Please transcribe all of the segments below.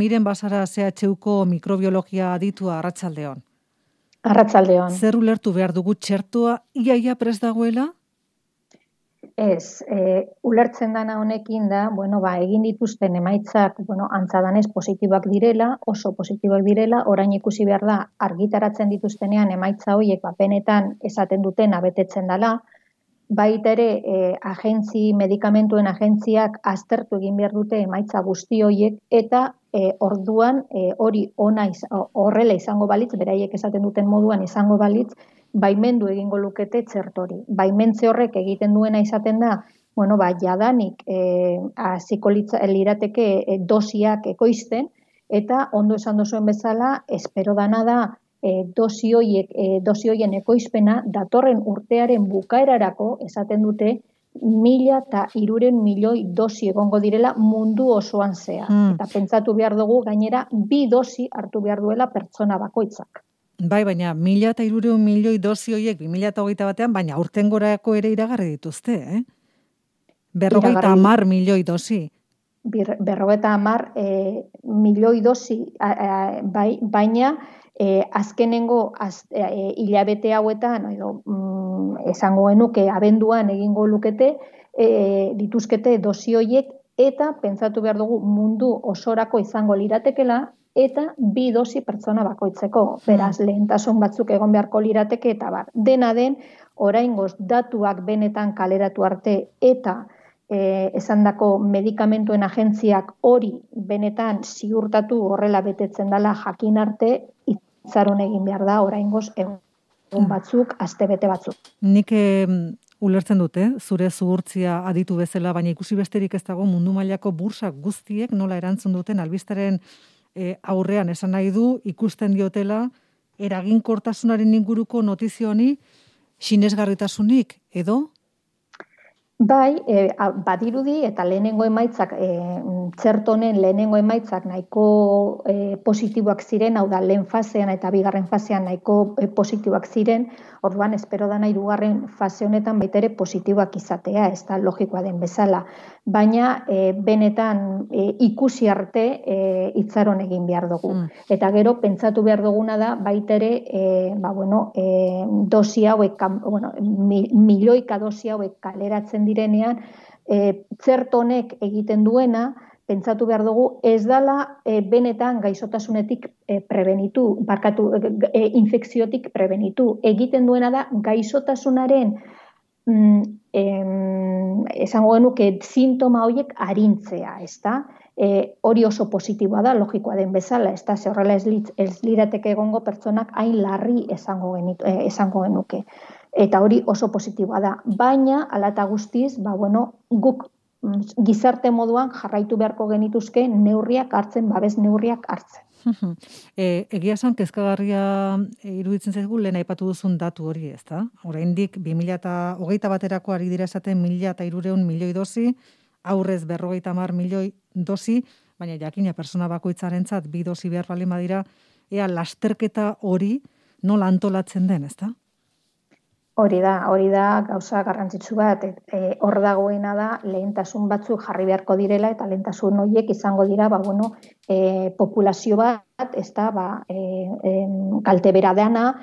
Miren Basara CHUko mikrobiologia aditua arratsaldeon. Arratsaldeon. Zer ulertu behar dugu txertoa iaia prest dagoela? Ez, ulertzen dana honekin da, egin dituzten emaitzak, antza danez positiboak direla, oso positiboak direla, orain ikusi behar da, argitaratzen dituztenean emaitza horiek benetan esaten duten betetzen dela, baita ere, medikamentuen agentziak aztertu egin behar dute emaitza guzti horiek, eta orduan hori horrela izango balitz, beraiek esaten duten moduan izango balitz, baimendu egingo lukete txertori. Baimentze horrek egiten duena izaten da, jadanik hasiko lirateke dosiak ekoizten, eta ondo esan duzuen bezala, espero dana da, dosi horien ekoizpena datorren urtearen bukaerarako esaten dute 1.300 milioi dosi egongo direla mundu osoan zehar. Eta pentsatu behar dugu gainera 2 dosi hartu behar duela pertsona bakoitzak. Bai, baina 1.300 milioi dosi horiek 2021 baina aurtengorako ere iragarri dituzte, eh? 50 milioi dosi. 50 milioi dosi, baina azkenengo hilabete hauetan, esango genuke abenduan egingo lukete, dituzkete dosi horiek, eta pentsatu behar dugu mundu osorako izango liratekela, eta 2 dosi pertsona bakoitzeko. Beraz, lehentasun batzuk egon beharko lirateke, eta dena den, oraingoz datuak benetan kaleratu arte, eta esandako medikamentuen agentziak hori benetan ziurtatu horrela betetzen dela jakin arte, itxaron egin behar da oraingoz egun batzuk, astebete batzuk. Nik ulertzen dute, zure zuhurtzia aditu bezala, baina ikusi besterik ez dago mundu mailako bursak guztiek nola erantzun duten albisteren aurrean esan nahi du, ikusten diotela eraginkortasunaren inguruko notizio honi sinesgarritasunik, edo? Bai, badirudi eta lehenengo emaitzak, txertonen lehenengo emaitzak nahiko positiboak ziren, hau da lehen fasean eta bigarren fasean nahiko positiboak ziren, orduan espero dana 2. fase honetan baita ere positiboak izatea, ez da logikoa den bezala. Baina benetan ikusi arte itxaron egin behar dugu. Eta gero pentsatu behar duguna da baita ere dosi hauek, milioika dosi hauek kaleratzen direnean, txertonek egiten duena, pentsatu behar dugu, ez dela benetan gaixotasunetik prebenitu, infekziotik prebenitu. Egiten duena da gaixotasunaren esango genuke sintoma horiek arintzea, ezta? Hori oso positiboa da, logikoa den bezala, ezta? Ze horrela ez lirateke egongo pertsonak hain larri esango genuke. Eta hori oso positiboa da. Baina, hala eta guztiz, guk gizarte moduan jarraitu beharko genituzke neurriak hartzen, babes neurriak hartzen. Egia esan, kezkagarria iruditzen zaigu lehen aipatu duzun datu hori, ezta? Oraindik 2021 ari dira esaten 1.300 milioi dosi, aurrez 50 milioi dosi, baina jakina persona bakoitzarentzat 2 dosi behar baldin badira, ea lasterketa hori nola antolatzen den, ezta? Hori da gauza garrantzitsu bat, hor dagoena da lehentasun batzuk jarri beharko direla eta lehentasun horiek izango dira, populazio bat, kalte bera dena,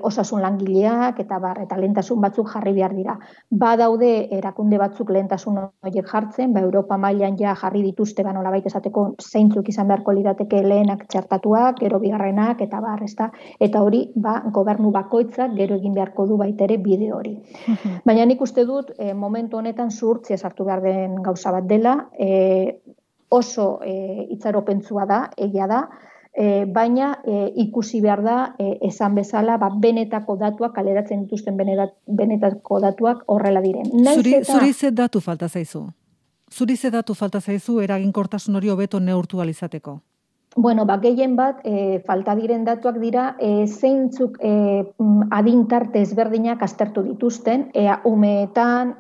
osasun langileak eta lehentasun batzuk jarri behar dira. Badaude erakunde batzuk lehentasun horiek jartzen, Europa mailan ja jarri dituzte nolabait esateko zeintzuk izan beharko lirateke lehenak txertatuak, gero bigarrenak eta ezta? Eta hori gobernu bakoitzak gero egin beharko du baita ere bide hori. Baina nik uste dut momentu honetan zuhurtzia sartu behar den gauza bat dela, oso itxaropentsua da, egia da, baina ikusi behar da esan bezala benetako datuak, kaleratzen dituzten benetako datuak horrela diren. Zuri ze datu falta zaizu? Zuri ze datu falta zaizu eraginkortasun hori hobeto neurtu alizateko? Gehien bat, falta diren datuak dira, zeintzuk adintarte ezberdinak aztertu dituzten, umeetan,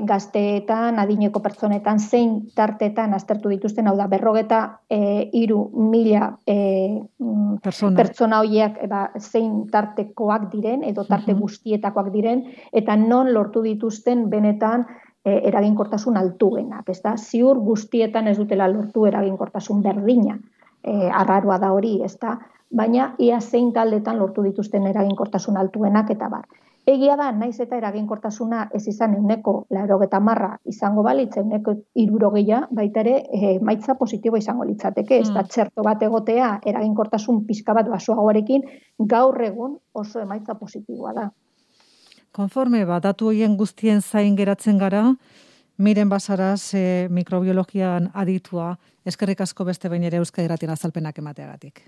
gazteetan, adineko pertsonetan, zein tartetan aztertu dituzten, hau da, 53.000 pertsona horiek zein tartekoak diren, edo tarte guztietakoak diren, eta non lortu dituzten benetan eraginkortasun altuenak, ez da? Ziur guztietan ez dutela lortu eraginkortasun berdina. arraroa da hori, ezta? Baina ia zein taldetan lortu dituzten eraginkortasun altuenak eta bar. Egia da, naiz eta eraginkortasuna ez izan 90% izango balitz, 60 baita ere emaitza positiboa izango litzateke, ez da txerto bat egotea eraginkortasun pixka bat basoagoarekin gaur egun oso emaitza positiboa da. Konforme, datu horien guztien zain geratzen gara, Miren Basaras mikrobiologian aditua, eskerrik asko beste behin ere Euskadi Irratian azalpenak emateagatik.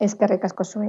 Eskerrik asko zuei.